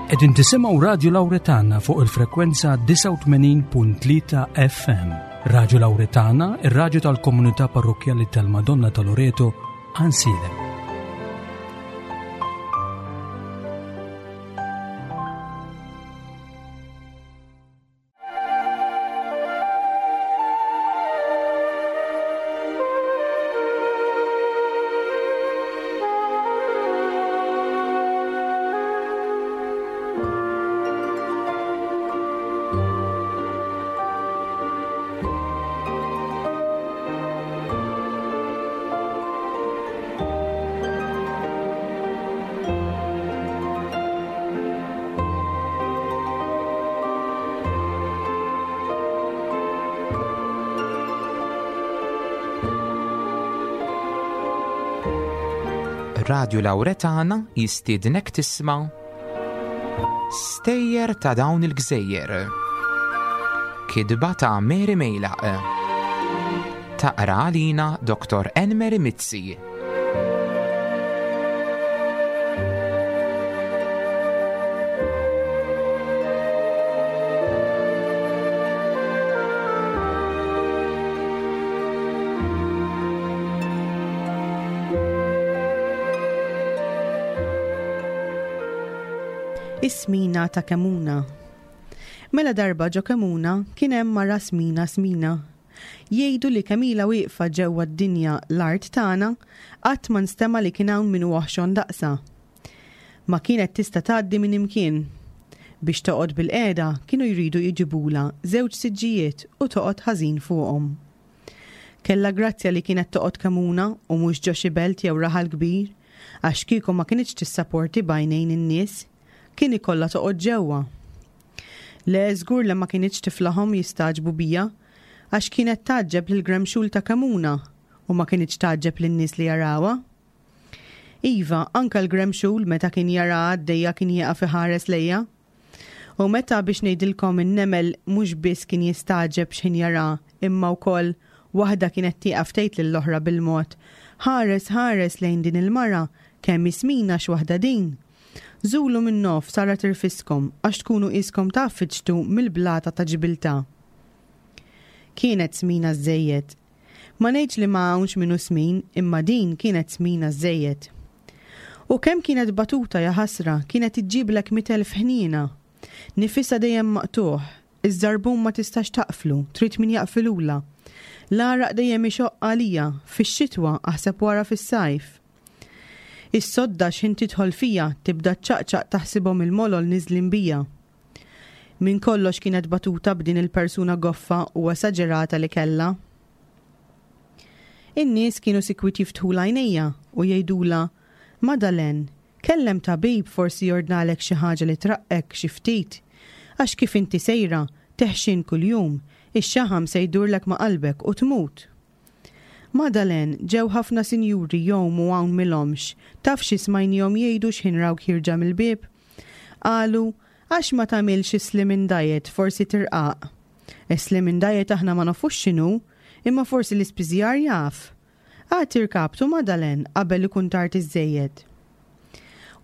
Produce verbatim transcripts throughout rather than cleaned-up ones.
Qegħdin tisimgħu Radio Lauretana fuq il-frekwenza disgħa u tmenin punt tlieta F M. Radio Lauretana, ir-radju tal-komunità parrokjali tal-Madonna ta' Loreto, Għajnsielem. Radio Lauretana jistiednek tisma' Stejjer ta' dawn il-gżejjer. Kitba ta' Mary Mejlaq. Taqra għalina Doktor Enmeri Mizzi. Is-smina ta' Kemuna. Mela darba ġo Kemuna kien hemm mara smina smina. Jgħidu li kemm ilha wieqfa ġewwa d-dinja l-art tagħna qatt ma nstema' li kien hawn min oħxon daqsha. Ma kienet tista' tgħaddi minn imkien. Biex toqgħod bil-qiegħda kienu jridu jġibula żewġ siġġijiet u toqgħod ħażin fuqhom. Kella grazzja li kienet toqgħod Kemuna u mhux ġo xi belt jew raħal kbir, għax kieku ma kinitx tissaporti b'għajnejn in-nies, kien ikollha toqgħod ġewwa. Le, żgur li ma kinitx tiflahom jistagħġbu bija, għax kienet tgħaġġeb lil gremxul ta' Kemuna u ma kinitx tgħaġġeb lin-nies li jarawha. Iva, anka l-gremxul meta kien jara għaddejja kien jieqaf iħares lejha. U meta biex ngħidilkom in-nemel mhux biss kien jistagħġeb x'ħin jara, imma wkoll waħda kienet tieqaf tgħid lill-oħra bil-mod: "Ħares, ħares lejn din il-mara, kemm smina x'waħda din. Żulu minn nof sara tirfiskom għax tkunu iskom tgħaffiġtu mill-blata ta' Ġibiltà." Kienet smina żejjed. Ma ngħidx li ma hawnx minnu smin, imma din kienet smina żejjed. U kemm kienet batuta, jaħasra, kienet iġġiblek mitt elf ħniena. Nifisha dejjem maqtugħ, iż-żarbun ma tistax taqflu, trid min jaqfilula. L-għaraq dejjem ixoqq għalija, fix-xitwa aħseb wara fis-sajf. Is-sodda x'ħin tidħol fija tibda ċaqċaq taħsibhom il-molol niżlin bija. Min kollox kienet batuta b'din il-persuna goffa u esaġerata li kella. In-nies kienu sikwit jiftħu għajnejha u jgħidula, "Madalen, kellem tabib, forsi jordnalek xi ħaġa li traqqek xi ftit. Għax kif inti sejra, teħxin kuljum, ix-xaħam se jdurlek ma' qalbek u tmut. Madalen, ġew ħafna sinjuri jgħumu hawn m'ilhomx, taf xi smajnihom jgħidu x'ħin rawk ħierġa mill-bieb? Qalu, għax ma tagħmilx slimming diet, forsi tirqaq. Slimming diet aħna ma nafux x'inhu, imma forsi l-ispiżjar jaf. Agħti rkabtu, Madalen, qabel ikun tard iżżejjed."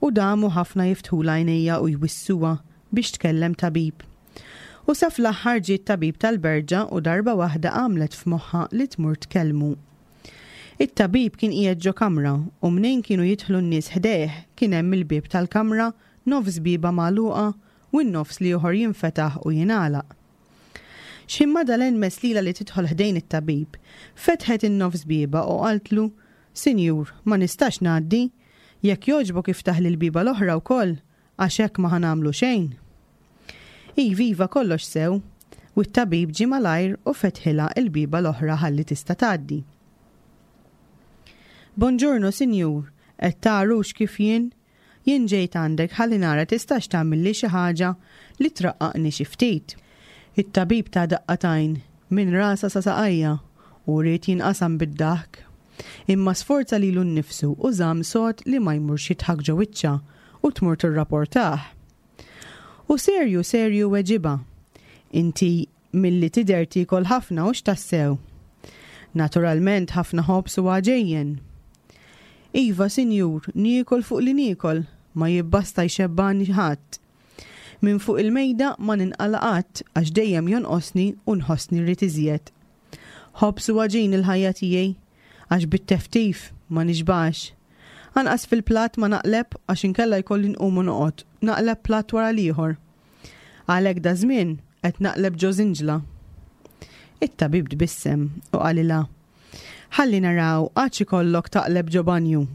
U damu ħafna jiftħu għajnejha u jwissuha biex tkellem tabib. U sa fl-aħħar ġiet tabib tal-berġa u darba waħda għamlet f'moħħa li tmur tkellmu. It-tabib kien qiegħed ġo kamra u mnejn kienu jidħlu n-nies ħdejh kien hemm il-bieb tal-kamra, nofs bieba magħluqa u n-nofs l-ieħor jinfetaħ u jingħalaq. X'ħin Madalen mess lilha li tidħol ħdejn it-tabib, fetħet in-nofs bieba u qaltlu, "Sinjur, ma nistax ngħaddi, jekk jogħġbok iftaħ l-bieba l-oħra wkoll, għax hekk ma ħa nagħmlu xejn." Iva, iva, kollox sew, u t-tabib ġie malajr u fetħilha il-bieba l-oħra ħalli tista' tgħaddi. "Bonġorno, sinjur, qed tarux kif jien? Jien ġejt għandek ħalli nara tistax tagħmilli xi ħaġa li traqqaqni xi ftit." It-tabib ta daqqa t'għajn minn rasha sa saqajha u ried jinqasam bid-daħk. Imma sforza lilu nnifsu u żamm sod li ma jmurx jidħak ġo wiċċha u tmur tirrapportah. U serju serju weġibha: "Inti milli tidher tiekol ħafna, u x'tassew? Naturalment ħafna ħobż u għaġejjen." "Iva, sinjur, niekol fuq li niekol, ma jibbasta jxebbani ħadd." Minn fuq il-mejda ma ninqala' qatt għax dejjem jonqosni u nħossni rrid iżjed. Ħobż u għaġin il-ħajja tiegħi għax bit-teftif ma nixbax. Anqas fil-platt ma naqleb għax inkella jkolli nqum u noqgħod, naqleb platt wara l-ieħor. Għalhekk daż-żmien qed naqleb ġo żinġla. It-tabib tbissem u qalilha: Ħalli naraw għax ikollok taqleb ġo banju.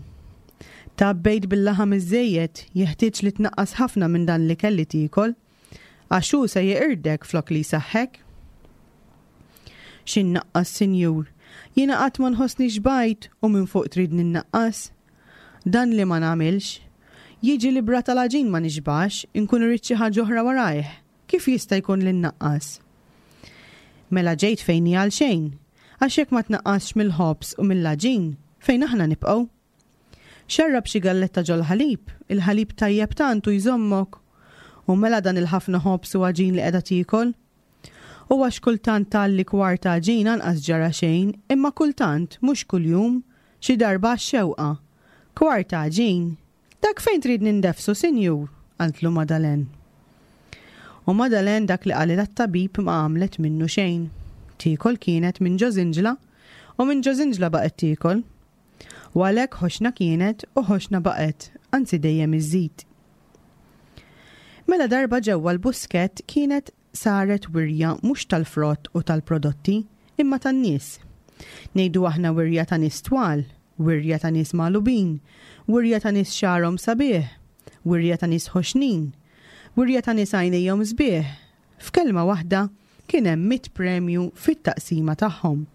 Tgħabbejt bil-laħam iżżejjed, jeħtieġ li tnaqqas ħafna minn dan l-ikel li tiekol, għax hu se jeqirdek flok li jsaħħek. X'innaqqas, sinjur? Jiena qatt ma nħossni xbajt u minn fuq tridni nnaqqas. Dan li ma nagħmilx. Jiġi li bra tal-għaġin ma nixbax, inkun irrid xi ħaġa oħra warajh. Kif jista' jkun li nnaqqas? Mela ġejt fejn għal xejn, għax jekk ma tnaqqasx mill-ħobż u mill-għaġin, fejn aħna nibqgħu? Xarrab xi galletta ġol-ħalib, il-ħalib tajjeb tant u jżommok. U mela dan il-ħafna ħobż u għaġin li qiegħda tiekol? U għax kultant tgħalli kwarta għaġin anqas ġara xejn, imma kultant, mhux kuljum, xi darba għax-xewqa. Kwarta għaġin? Dak fejn trid nindefsu, sinjur? Qaltlu Madalen. U Madalen dak li qalilha t-tabib ma għamlet minnu xejn. Tiekol kienet minn ġo żinġla u minn ġo żinġla baqgħet tiekol. U għalhekk ħoxna kienet u ħoxna baqgħet, anzi dejjem iżżid. Mela darba ġewwa l-Buskett kienet saret wirja mhux tal-frott u tal-prodotti, imma tan-nies. Ngħidu aħna wirja ta' nies twal, wirja ta' nies magħlubin, wirja ta' nies xagħarhom sabiħ, wirja ta' nies ħoxnin, wirja ta' nies għajnejhom sbieħ. F'kelma waħda kien hemm mitt premju fit-taqsima tagħhom.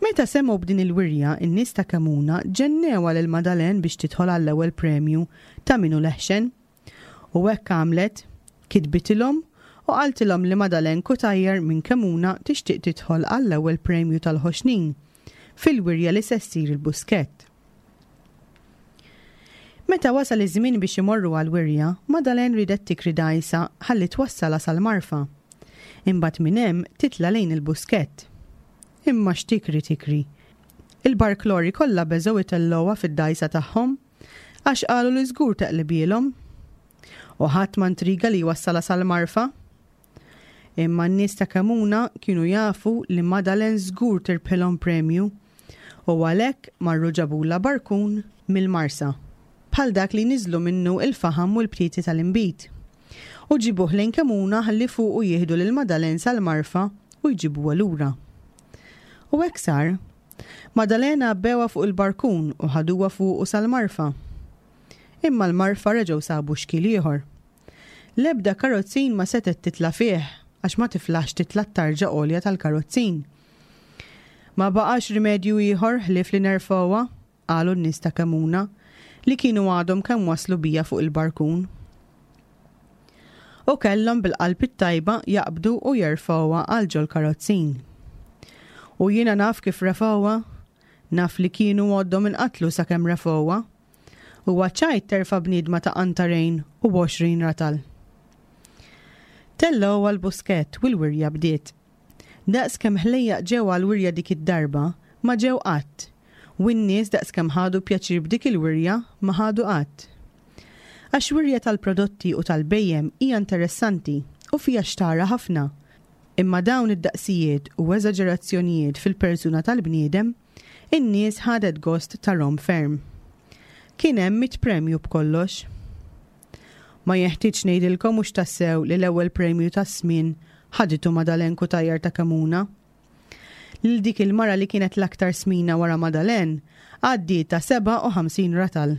Meta semgħu b'din il-wirja, in-nies ta' Kemuna ġennewha lil Madalen biex tidħol għall-ewwel premju ta' min hu leħxen. U hekk għamlet, kitbitilhom u qaltilhom li Madalen Cutajar minn Kemuna tixtieq tidħol għall-ewwel premju tal-ħoxnin fil-wirja li se ssir il-Buskett. Meta wasal iż-żmien biex imorru għall-wirja, Madalen ridet tikri dgħajsa ħalli twassalha sal-Marfa. Imbagħad minn hemm titla' lejn il-Buskett. Imma x'tikri tikri. Il-barklori kollha beżgħu itellgħuha fid-dgħajsa tagħhom għax qalu li żgur teqlibielhom. U ħadd ma ntriga li jwassalha sal-Marfa. Imma n-nies ta' Kemuna kienu jafu li Madalen żgur tirbħilhom premju u għalhekk marru ġabula barkun mill-Marsa, bħal dak li niżlu minnu il-faħam u l-btieti tal-inbid. U ġibuh lejn Kemuna ħalli fuqu jieħdu lil Madalen sal-Marfa u jġibuha lura. U hekk sar. Madalena għabbewha fuq il-barkun u ħaduha fuqu sal-Marfa. Imma l-Marfa reġgħu sabu xkiel ieħor. L-ebda karozzin ma setgħet titla' fih għax ma tiflaħx titla' t-tarġa għolja tal-karozzin. Ma baqax rimedju ieħor ħlief li nerfgħuha, qalu n-nies ta' Kemuna, li kienu għadhom kemm waslu bija fuq il-barkun. U kellhom bil-qalb it-tajba jaqbdu u jerfgħuha għal ġol-karozzin. U jiena naf kif refgħuha, naf li kienu għoddhom inqatlu sakemm refgħuha. U ċajt terfa' bniedma ta' qantarejn u għoxrin ratal. Tellgħu għall-Buskett u l-wirja bdiet. Daqs kemm ħlejjaq ġew għall-wirja dik id-darba, ma ġew qatt. U n-nies daqs kemm ħadu pjaċir b'dik il-wirja, ma ħadu qatt. Għax wirja tal-prodotti u tal-bejjem hija interessanti u fija xtara ħafna. Imma dawn id-daqsijiet u eżaġerazzjonijiet fil-persuna tal-bniedem, in-nies ħadet gost tarhom ferm. Kien hemm mitt premju b'kollox. Ma jeħtieġ ngħidilkom mhux tassew li l-ewwel premju tas-smien ħaditu Madalen Cutajar ta' Kemuna. Lil dik il-mara li kienet l-aktar smina wara Madalen għaddiet ta' sebgħa u ħamsin ratal.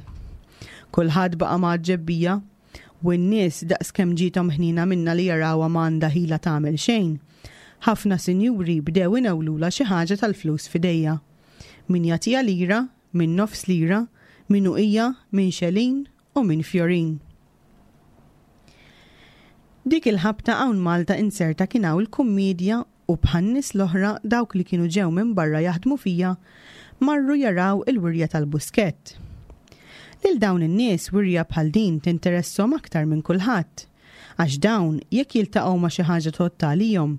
Kulħadd baqa' mgħaġġeb bija u n-nies daqs kemm ġiethom ħnina minna li jarawha ma għandha ħila tagħmel xejn. Ħafna sinjuri bdew inewlula xi ħaġa tal-flus f'idejja. Min jagħtiha lira, min nofs lira, min uqija, min xelin u min fjorin. Dik il-ħabta hawn Malta inserta kien hawn il-kummedja u bħan-nies l-oħra dawk li kienu ġew minn barra jaħdmu fija marru jaraw il-wirja tal-Buskett. Lil dawn in-nies wirja bħal din tinteresshom aktar minn kulħadd, għax dawn jekk jiltaqgħu ma' xi ħaġa tgħodd għalihom,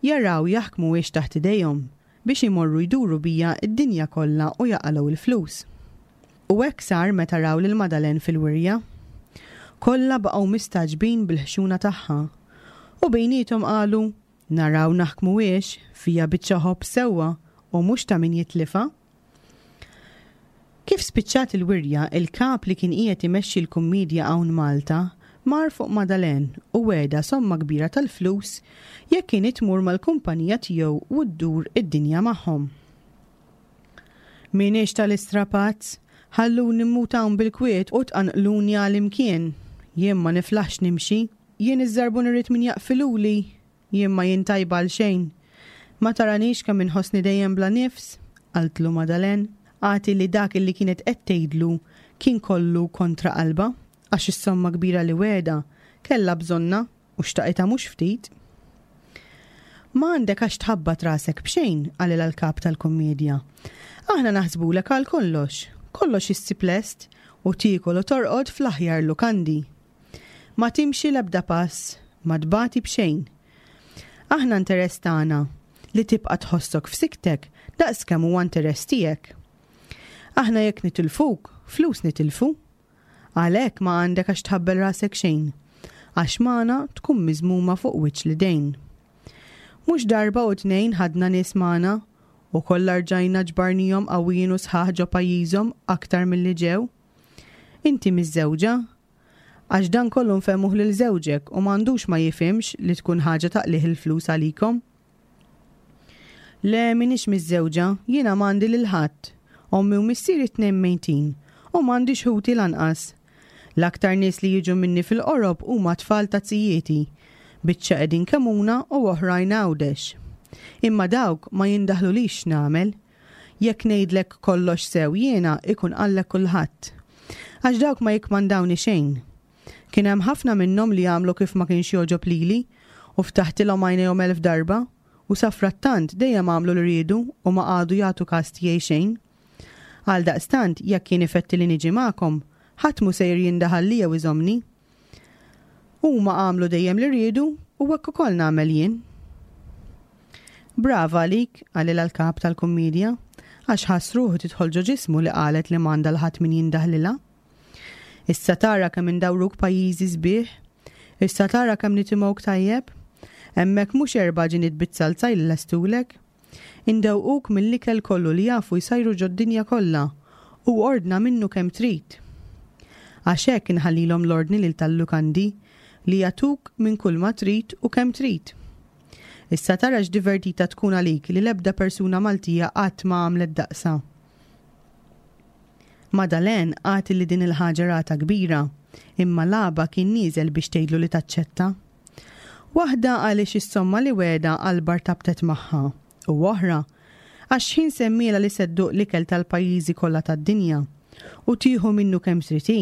jaraw jaħkmu wiex taħt idejhom biex imorru jduru bija d-dinja kollha u jaqalgħu il-flus. U hekk sar meta raw lil Madalen fil-wirja. Kollha baqgħu mistagħġbin bil-ħxuna tagħha. U bejniethom qalu, naraw naħkmuhiex, fiha biċċa ħobż sewwa u mhux ta' min jitlifha. Kif spiċċat il-wirja, il-kap li kien qiegħed imexxi l-kummedja hawn Malta mar fuq Madalen u wegħedha somma kbira tal-flus jekk kien tmur mal-kumpanija tiegħu u ddur id-dinja magħhom. M'iniex tal-istrapazz, ħalluni mmut hawn bil-kwiet u tqanqluni għal imkien. Jien ma niflaħx nimxi, jien iż-żarbun irrid min jaqfiluli, jien ma jien tajba għal xejn. Ma taranix kemm inħossni dejjem bla nifs, qaltlu Madalen, għati li dak li kienet qed tgħidlu kien kollu kontra qalbha, għax is-somma kbira li wegħedha kellha bżonnha u xtaqitha mhux ftit. Ma għandek għax tħabbat rasek b'xejn, qalilha l-kap tal-kummedja. Aħna naħsbulek għal kollox, kollox issib lest u tiekol u torqod fl-aħjar lukandi. Ma timxi l-ebda pass, ma tbati b'xejn. Aħna interess tagħna li tibqa' tħossok f'siktek daqs kemm huwa interess tiegħek. Aħna jekk nitilfuk, flus nitilfu. Għalhekk ma għandek għax tħabbel rasek xejn, għax magħna tkun miżmuma fuq wiċċ l-idejn. Mhux darba u tnejn ħadna nies magħna u kollha rġajna ġbarnihom qawwijin u sħaħ ġo pajjiżhom aktar milli ġew. Inti miżżewġa? Għax dan kollu nfehmuh lil żewġek u m'għandux ma jifhimx li tkun ħaġa ta' qligħ il-flus għalikom. Le, m'iniex miżżewġa, jiena m'għandi lil ħadd. Ommi u missieri tnejn mejtin u m'għandix ħuti lanqas. L-aktar nies li jiġu minni fil-qorob huma tfal ta' zijieti, biċċa qegħdin Kemuna u oħrajn Għawdex. Imma dawk ma jindaħlulix nagħmel. Jekk ngħidlek kollox sew jiena ikun qallek kulħadd. Għax dawk ma jikkmandawni xejn. Kien hemm ħafna minnhom li għamlu kif ma kienx jogħġob lili u ftaħtilhom għajnejhom elf darba u safrattant dejjem għamlu li riedu u ma qagħdu jagħtu kas tiegħi xejn. Għal daqstant jekk kien ifetti li niġi magħkom, ħadd mhu sejjer jindaħalli jew iżomni. Huma għamlu dejjem li riedu u hekk ukoll nagħmel jien. Brava għalik, qalilha l-kap tal-kummedja, għax ħass ruħu tidħol ġo ġismu li qalet li m'għandha 'l ħadd min jindaħlilha. Issa tara kemm indawruk pajjiżi sbieħ, issa tara kemm nitimgħuk tajjeb, hemmhekk mhux erba' ġiniet bit-salza jlestulek. Indewquk mill-ikel kollu li jafu jsajru ġod-dinja kollha u ordna minnu kemm trid. Għax hekk inħallilhom l-ordni lil tal-lukandi li jagħtuk minn kull ma trid u kemm trid. Issa tara x'divertita tkun għalik li l-ebda persuna Maltija qatt ma għamlet daqsa. Madalen għati li din il-ħaġa rata kbira, imma laba kien nieżel biex tgħidlu li taċċetta. Waħda għaliex is-somma li wegħedha qalbha rtabtet magħha, u oħra għax ħin semmiela li se dduq l-ikel tal-pajjiżi kollha tad-dinja u tieħu minnu kemm trid hi.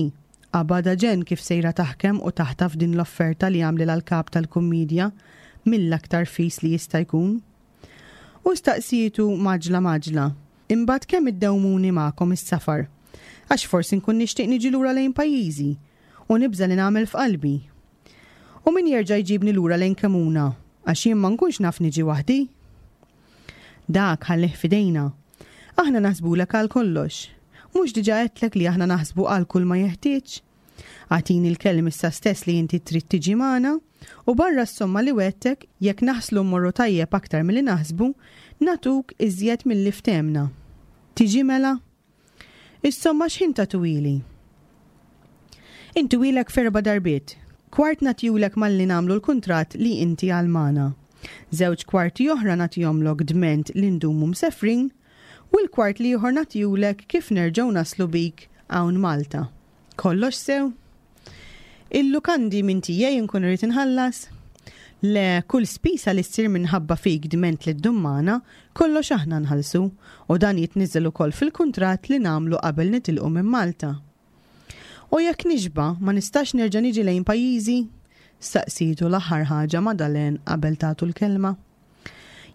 Qabadha ġenn kif sejra taħkem u taħtaf din l-offerta li għamlilha l-kap tal-kummedja mill-aktar fis li jista' jkun. U staqsietu maġla maġla, imbagħad kemm iddewmuni magħkom is-safar, għax forsi nkun nixtieq niġi lura lejn pajjiżi u nibża li nagħmel f'qalbi. U min jerġa' jġibni lura lejn Kemuna, għax jien ma nkunx naf niġi waħdi. Dak ħallih f'idejna. Aħna naħsbulek għal kollox. Mhux diġà għedtlek li aħna naħsbu għal kull ma jeħtieġ. Agħtini l-kelm issa stess li inti trid tiġi magħna u barra s-somma li wegħedtek jekk naħslu mmorru tajjeb aktar milli naħsbu, nagħtuk iżjed milli ftehmna. Tiġi mela? Is-somma x'ħin tagħtuhieli? Intuhielek f'erba' darbiet. Kwart nagħtihulek malli nagħmlu l-kuntratt li inti għal magħna. Żewġ kwarti oħra nagħtihomlok dment li ndumu msefrin u l-kwart l-ieħor nagħtihulek kif nerġgħu naslu bik hawn Malta. Kollox sew? Il-lukandi minn tiegħi nkun irrid inħallas? Le, kull spisa li ssir minħabba fik dment li ddum magħna, kollox aħna nħallsu u dan jitniżel ukoll fil-kuntratt li nagħmlu qabel nitilqu minn Malta. U jekk nixba, ma nistax nerġa' niġi lejn pajjiżi? Staqsitu l-aħħar ħaġa Madalen qabel tagħtu l-kelma.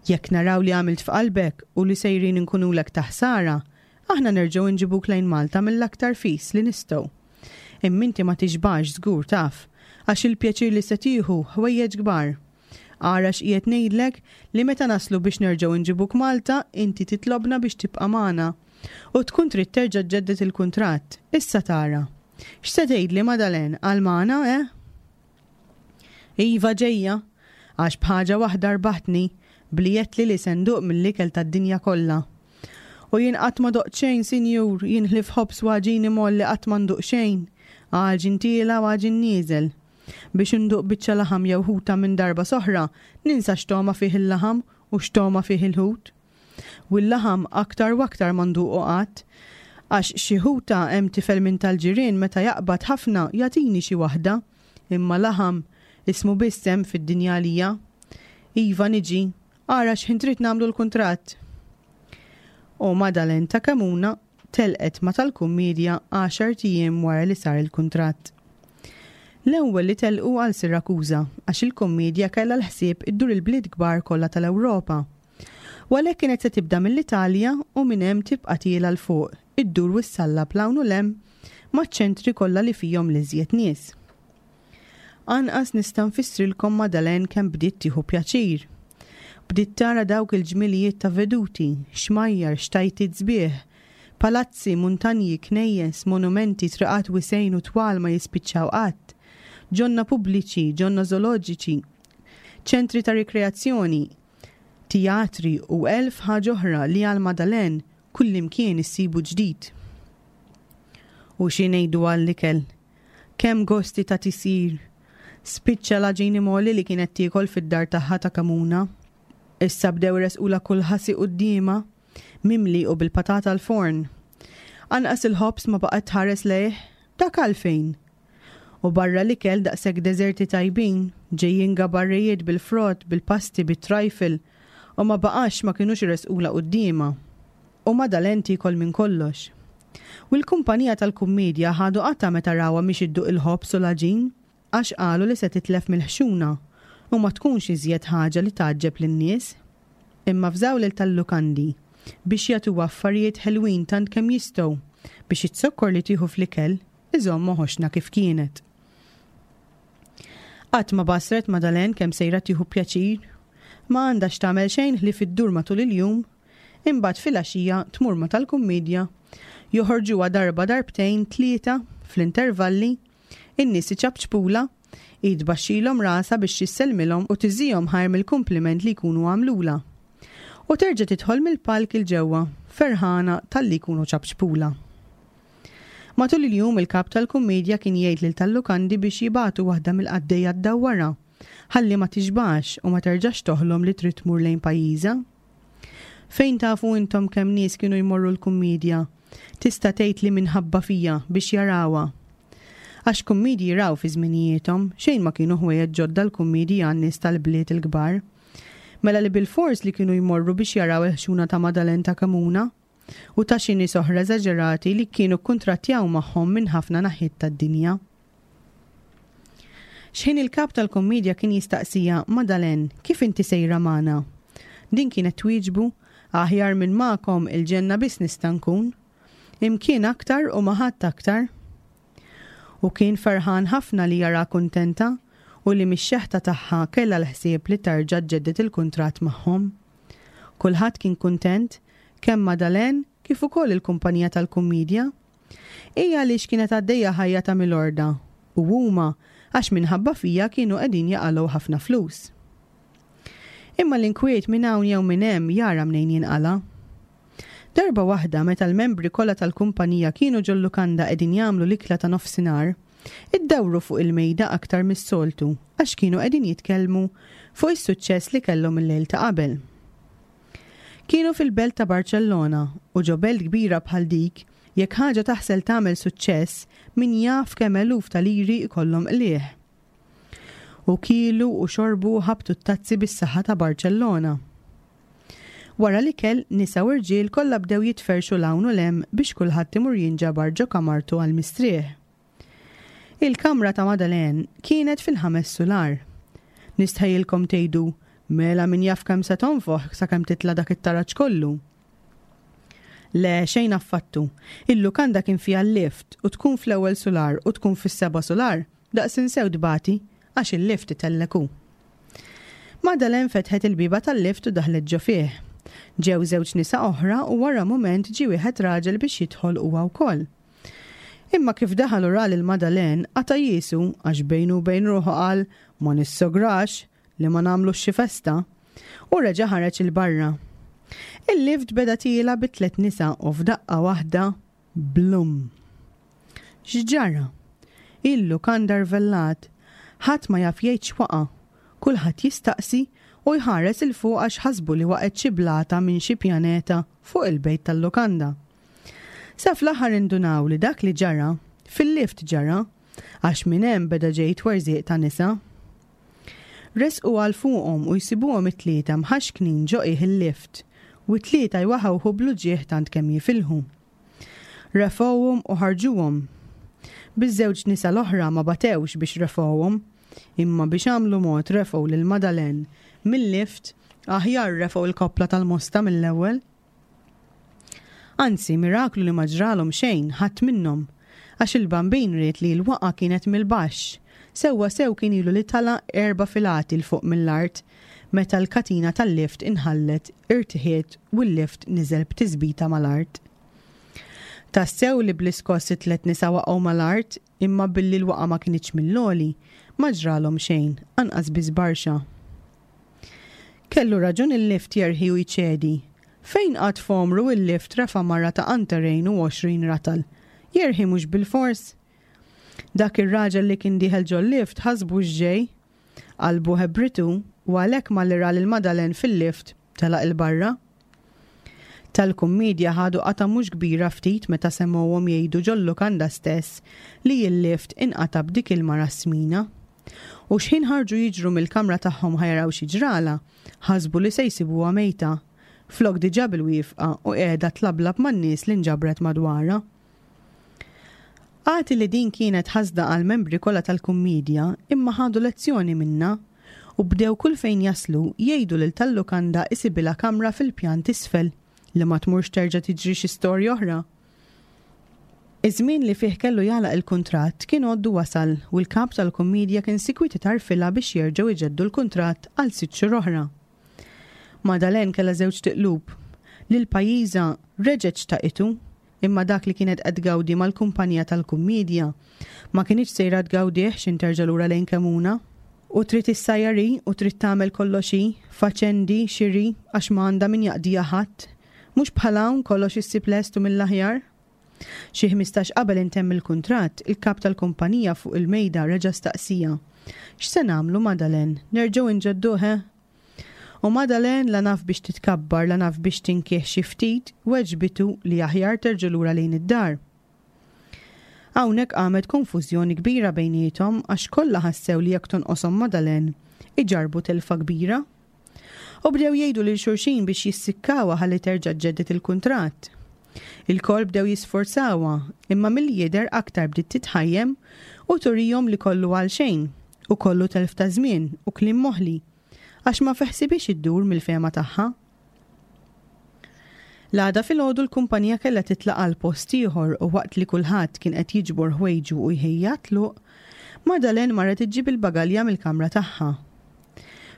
Jekk naraw li għamilt f'qalbek u li sejrin inkunulek ta' ħsara, aħna nerġgħu nġibuk lejn Malta mill-aktar fis li nistgħu. Imma inti ma tixbax żgur taf, għax il-pjaċir li se tieħu ħwejjeġ kbar. Ara x'qiegħed ngħidlek li meta naslu biex nerġgħu nġibuk Malta, inti titlobna biex tibqa' magħna u tkun trid terġa' ġġedded il-kuntratt. Issa tara. X'se tgħidli Madalen għal magħna, eh? Iva ġejja, għax b'ħaġa waħda rbaħtni bli għedtli li se nduq mill-ikel tad-dinja kollha. U jien qatt ma doqt xejn, sinjur, jien ħlief ħobż u għaġin imgħolli qatt ma nduq xejn, għaġin tiela' u għaġin nieżel. Biex induq biċċa laħam jew ħuta minn darba s'oħra, ninsa x'togħma fih il-laħam u x'togħma fih il-ħut. U l-laħam aktar u aktar ma nduqu qatt, għax xi ħuta hemm tifel minn tal-ġirien meta jaqbad ħafna jagħtini xi waħda, imma laħam ismu biss hemm fid-dinja għalija. Iva niġi, ara x'ħin trid nagħmlu l-kuntratt. U Madalen ta' Kemuna telqet ma' tal-kummiedja għaxart ijiem wara li sar il-kuntratt. L-ewwel li telqu għal Sirakuża għax il-kummiedja kellha l-ħsieb iddur il-bliet kbar kollha tal-Ewropa. U għalhekk kienet se tibda mill-Italja u minn hemm tibqa' tiela' 'l fuq, iddur u ssallab 'l hawn u 'l hemm maċ-ċentri kollha li fihom l-iżjed nies. Anqas nista' nfissrilkom Madalen kemm bdiet tieħu pjaċir. Bdiet tara dawk il-ġmilijiet ta' veduti, xmajjar, xtajtiet sbieħ, palazzi, muntanji, knejjes, monumenti, triqat wisgħin u twal ma jispiċċaw qatt, ġonna pubbliċi, ġonna zooloġiċi, ċentri ta' rikreazzjoni, teatri u elf ħaġa oħra li għal Madalen kullimkien issibu ġdid. U xi ngħidu għall-ikel? Kemm gosti ta' tisir! Spiċċa l-għaġin imgħolli li kienet tiekol fid-dar tagħha ta' Kamuna. Issa bdew iresqulha kull ħasi quddiemha, mimli u bil-patata l-forn. Anqas il-ħobż ma baqgħet tħares lejh, dak għalfejn. U barra l-ikel daqshekk deżerti tajbin, ġejjin gabarrijiet bil-frott, bil-pasti, bit-trifle, u ma baqax ma kinux iresqulha quddiemha. U Madalen tiekol minn kollox. U l-kumpanija tal-kummiedja ħadu qatgħa meta rawha mhix idduq il-ħobż u l-għaġin, għax qalu li se titlef mill-ħxuna u ma tkunx iżjed ħaġa li tgħaġġeb lin-nies. Imma fżaw lil tal-lukandi biex jagħtuha affarijiet ħelwin tant kemm jistgħu biex iz-zokkor li tieħu fl-ikel iżommha ħoxna kif kienet. Qatt ma basret Madalen kemm sejra tieħu pjaċir. Ma għandha x'tagħmel xejn ħlief iddur matul il-jum, imbagħad filgħaxija tmur ma' tal-kummiedja, joħorġuha darba darbtejn tlieta fl-intervalli, in-nies iċapċpulha, hi tbaxxilhom rasha biex issellmilhom u tiżihom ħajr mill-kumpliment li jkunu għamlulha. U terġa' tidħol mill-palk 'il ġewwa, ferħana talli jkunu ċapċpulha. Matul il-jum il-kap tal-kummiedja kien jgħid lil tal-lukandi biex jibagħtu waħda mill-qaddejja ddawwarha, ħalli ma tixbax u ma terġax toħlom li trid tmur lejn pajjiżha. Fejn tafu intom kemm nies kienu jmorru l-kummiedja? Tista' tgħid li minħabba fija biex jarawha. Għax kummiedji raw fi żminijiethom, xejn ma kienu ħwejjeġ ġodda l-kummiedji għan-nies tal-bliet il-kbar. Mela li bilfors li kienu jmorru biex jaraw il-ħxuna ta' Madalen ta' Kemuna u ta' xi nies oħra eżaġerati li kienu kkuntrattjaw magħhom minn ħafna naħiet tad-dinja. X'ħin il-kap tal-kummiedja kien jistaqsiha, Madalen, kif inti sejra magħna? Din kienet twieġbu, aħjar minn magħkom il-ġenna biss nista' nkun. Imkien aktar u ma' ħadd aktar. U kien ferħan ħafna li jara kuntenta u li mix-xeħta tagħha kellha l-ħsieb li terġa' ġġedded il-kuntratt magħhom. Kulħadd kien kuntent, kemm Madalen kif ukoll il-kumpanija tal-kummiedja. Hi għaliex kienet għaddejja ħajja ta' milorda u huma għax minħabba fija kienu qegħdin jaqalgħu ħafna flus. Imma l-inkwiet minn hawn jew minn hemm jara mnejn jinqala'. Darba waħda meta l-membri kollha tal-kumpanija kienu ġol-lukanda qegħdin jagħmlu l-ikla ta' nofsinhar, iddawru fuq il-mejda aktar mis-soltu għax kienu qegħdin jitkellmu fuq is-suċċess li kellhom il-lejl ta' qabel. Kienu fil-belt ta' Barċellona u ġo belt kbira bħal dik, jekk ħaġa taħsel tagħmel suċċess, min jaf kemm eluf ta' liri jkollhom qligħ. U kielu u xorbu u ħabtu t-tazzi bis-saħħa ta' Barċellona. Wara l-ikel, nisa u rġiel kollha bdew jitferrxu 'l hawn u 'l hemm biex kulħadd imur jinġabar ġo kamartu għall-mistrieħ. Il-kamra ta' Madalen kienet fil-ħames sular. Nistħajjilkom tgħidu, mela min jaf kemm se tonfoħ sakemm titla' dak it-taraġ kollu. Le, xejn affattu. Il-lukanda kien fiha l-lift u tkun fl-ewwel sular u tkun fis-seba' sular, daqs insew tbati għax il-lift itellek hu. Madalen fetħet il-bieba tal-lift u daħlet ġo fih. Ġew żewġ nisa oħra u wara mument ġie wieħed raġel biex jidħol huwa wkoll. Imma kif daħal u ra lil Madalen qata' jiesu għax bejnu u bejn ruħu qal ma nissograx li ma nagħmlux xi festa u reġa' ħareġ 'il barra. Il-lift beda tiela' bi tliet nisa u f'daqqa waħda blum. X'ġara? Il-lukanda rvellat, ħadd ma jaf jgħid x'waqa', kulħadd jistaqsi u jħares 'il fuq għax ħasbu li waqgħet xi blata minn xi pjaneta fuq il-bejt tal-lukanda. Sa fl-aħħar indunaw li dak li ġara, fil-lift ġara, għax minn hemm beda ġej twerżiq ta' nisa. Resqu għal fuqhom u jsibuhom it-tlieta mħaxknin ġo qiegħ il-lift u t-tlieta jwaħawħu bl-uġigħ tant kemm jifilħu. Refgħuhom u ħarġuhom. Biż-żewġ nisa l-oħra ma batewx biex refgħuhom, imma biex għamlu mod refgħu lil Madalen mill-lift aħjar refgħu l-koppla tal-mosta mill-ewwel. Anzi, miraklu li ma ġralhom xejn ħadd minnhom, għax il-bambin ried li l-waqgħa kienet mill-baxx, sewwa sew kien ilu li tala' erba' filati 'l fuq mill-art meta l-katina tal-lift inħallet, irtiħiet u l-lift niżel b'tisbita mal-art. Tassew li bl-iskoss it-tliet nisa waqgħu mal-art, imma billi l-waqgħa ma kinitx mill-għoli, ma ġralhom xejn, anqas biss barxa. Kellu raġun il-lift jerħi u jċedi. Fejn qatt f'għomru il-lift refa' mara ta' qantarejn u għoxrin ratal? Jerħi mhux bilfors? Dak ir-raġel li kien dieħel ġol-lift ħasbu x'ġej. Qalbu ħebritu u għalhekk malli ra lil Madalen fil-lift telaq 'il barra. Tal-kummiedja ħadu qatgħa mhux kbira ftit meta semgħuhom jgħidu ġol-lukanda stess li l-lift inqata' b'dik il-mara smina. U x'ħin ħarġu jiġru mill-kamra tagħhom ħa jaraw xi ġralha, ħasbu li se jsibuha mejta, flok diġà bil-wifqa u qiegħda tlablab man-nies li nġabret madwarha. Agħti li din kienet ħasda għall-membri kollha tal-kummiedja imma ħadu lezzjoni minnha u bdew kull fejn jaslu jgħidu lil tal-lukanda isibilha kamra fil-pjan t'isfel li ma tmurx terġa' tiġri xi storja oħra. Iż-żmien li fih kellu jagħlaq il-kuntratt kien għoddu wasal u l-kap tal-kummiedja kien sikwit itarfilha biex jerġgħu jġeddu l-kuntratt għal sitt xhur oħra. Madalen kellha żewġ tiqlub. Lil pajjiżha reġgħet xtaqitu, imma dak li kienet qed tgawdi mal-kumpanija tal-kummiedja ma kinitx sejra tgawdih x'in terġa' lura lejn Kemuna. U trid issajjar hi u trid tagħmel kollox hi, faċendi, xiri, għax ma għandha min jaqdiha ħadd. Mhux bħal hawn kollox issib lest u mill-aħjar. Xi ħmistax qabel intemm il-kuntratt, il-kap tal-kumpanija fuq il-mejda reġa' staqsija. X'se nagħmlu Madalen? Nerġgħu nġedduh, eh? U Madalen la naf biex titkabbar, la naf biex tinkih xi ftit, weġbitu li aħjar terġa' lura lejn id-dar. Hawnhekk qamet konfużjoni kbira bejniethom għax kollha ħassew li jekk tonqoshom Madalen, iġarrbu telfa kbira. U bdew jgħidu lil xulxin biex jissikkawha ħalli terġa' ġġedded il-kuntratt. Il-kol bdew jisforzawha, imma milli jidher aktar bdiet titħajjem u turihom li kollu għal xejn, u kollu telf ta' żmien u kliem moħli, għax ma feħsibiex iddur mill-fehma tagħha. L-għada filgħodu l-kumpanija kellha titlaq għal post ieħor u waqt li kulħadd kien qed jiġbor ħwejġu u jħejja tluq, Madalen marret iġġib il-bagalja mill-kamra tagħha.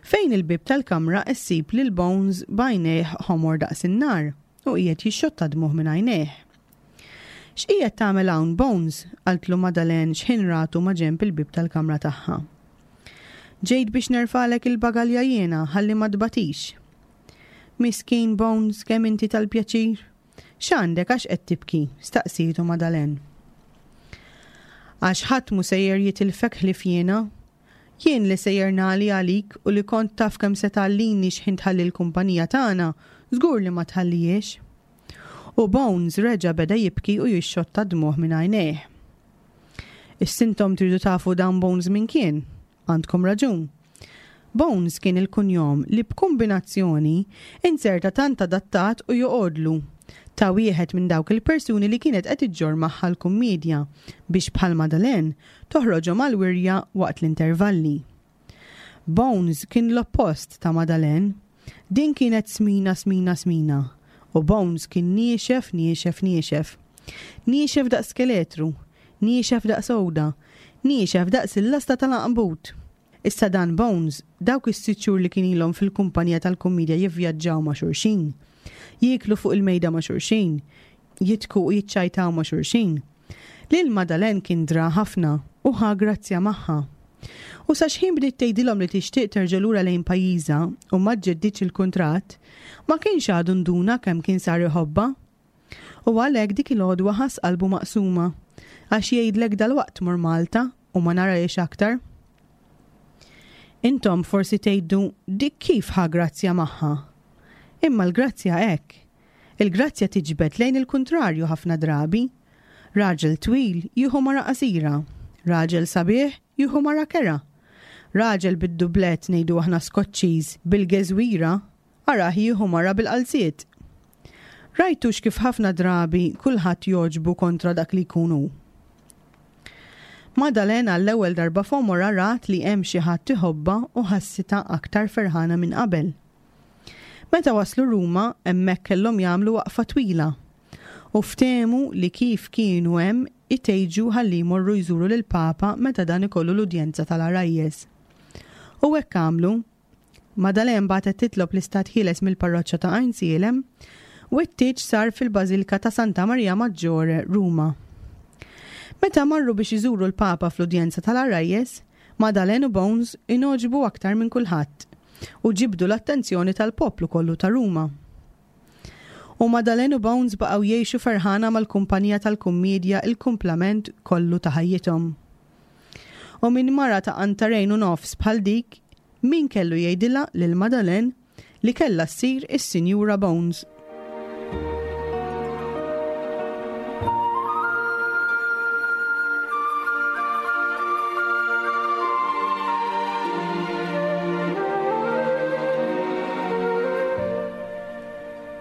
Fejn il-bieb tal-kamra issib lil Bones b'għajnejh ħomor daqs in-nar u qiegħed jixxotta dmugħ minn għajnejh. X'qiegħed tagħmel hawn Bones? qaltlu Madalen x'ħin ratu ma' ġenb il-bieb tal-kamra tagħha. Ġejt biex nerfalek il-bagalja jiena ħalli ma tbatix. Miskin Bones, kemm inti tal-pjaċir. X'għandek għax qed tibki? staqsietu Madalen. Għax ħadd mhu sejjer jitilfek ħlief jiena. Jien li sejjer nagħli għalik u li kont taf kemm se tgħallini x'ħin tħalli l-kumpanija tagħna, żgur li ma tħallihiex. U Bones reġa' beda jibki u jixxotta dmugħ minn għajnejh. Issa intom tridu tafu dan Bones min kien? Għandkom raġun. Bones kien il-kunjom li b'kombinazzjoni inzerta tant adattat u joqgħodlu ta' wieħed minn dawk il-persuni li kienet qed iġġorr magħha l-kummiedja biex bħal Madalen toħroġhom għal wirja waqt l-intervalli. Bones kien l-oppost ta' Madalen. Din kienet smina smina smina u Bones kien niexef niexef niexef. Niexef daqs skeletru, niexef daqs għuda, niexef daqs il-lasta tal-għanbut. Issa dan Bones, dawk is-sitt xhur li kien ilhom fil-kumpanija tal-kummiedja jivvjaġġaw ma' xulxin, jieklu fuq il-mejda ma' xulxin, jidħku u jiċċajtaw ma' xulxin. Lil Madalen kien dra ħafna u ħa grazzja magħha. U sa xħin bdiet tgħidilhom li tixtieq terġa' lura lejn pajjiżha u ma ġġeddidx il-kuntratt, ma kienx għadu nduna kemm kien sar iħobbha. U għalhekk dik il-għodwa ħass qalbu maqsuma, għax jgħidlek dalwaqt tmur Malta u ma narahiex aktar. Intom forsi tgħidu dik kif ħa grazzja magħha. Imma l-grazzja hekk. Il-grazzja tiġbed lejn il-kuntrarju ħafna drabi. Raġel twil jieħu mara qasira, raġel sabiħ jieħu mara kerha. Raġel bid-dublet ngħidu aħna Skoċċiż bil-geżwira, arah jieħu mara bil-qalziet. Rajtux kif ħafna drabi kulħadd jogħġbu kontra dak li jkun hu. Madalena għall-ewwel darba f'għomorha rat li hemm xi ħadd iħobbha u ħassitha aktar ferħana minn qabel. Meta waslu Ruma, hemmhekk kellhom jagħmlu waqfa twila. U ftehmu li kif kienu hemm itejġu ħalli jmorru jżuru lil Papa meta dan ikollu l-udjenza tal-għarajjes. U hekk għamlu. Madalen bagħtet titlob l-istat ħieles mill-parroċċa ta' Għajnsielem u t-tieġ sar fil-Bażilka ta' Santa Maria Maggiore, Ruma. Meta marru biex iżuru l-Papa fl-udjenza tal-għarajjes, Madalen u Bones ingħoġbu aktar minn kulħadd u ġibdu l-attenzjoni tal-poplu kollu ta' Ruma. U Madalen u Bones baqgħu jgħixu ferħana mal-kumpanija tal-kummedja il-kumplament kollu ta' ħajjithom. U minn mara ta' qantarejn u nofs bħal dik, min kellu jgħidilha lil Madalen li kellha ssir is-Sinjura Bones.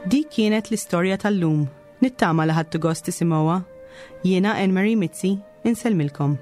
Dik kienet l-istorja tal-lum. Nittama li ħadtu gost tisimgħuha. Jiena Anne Marie Mizzi, insellmilkom.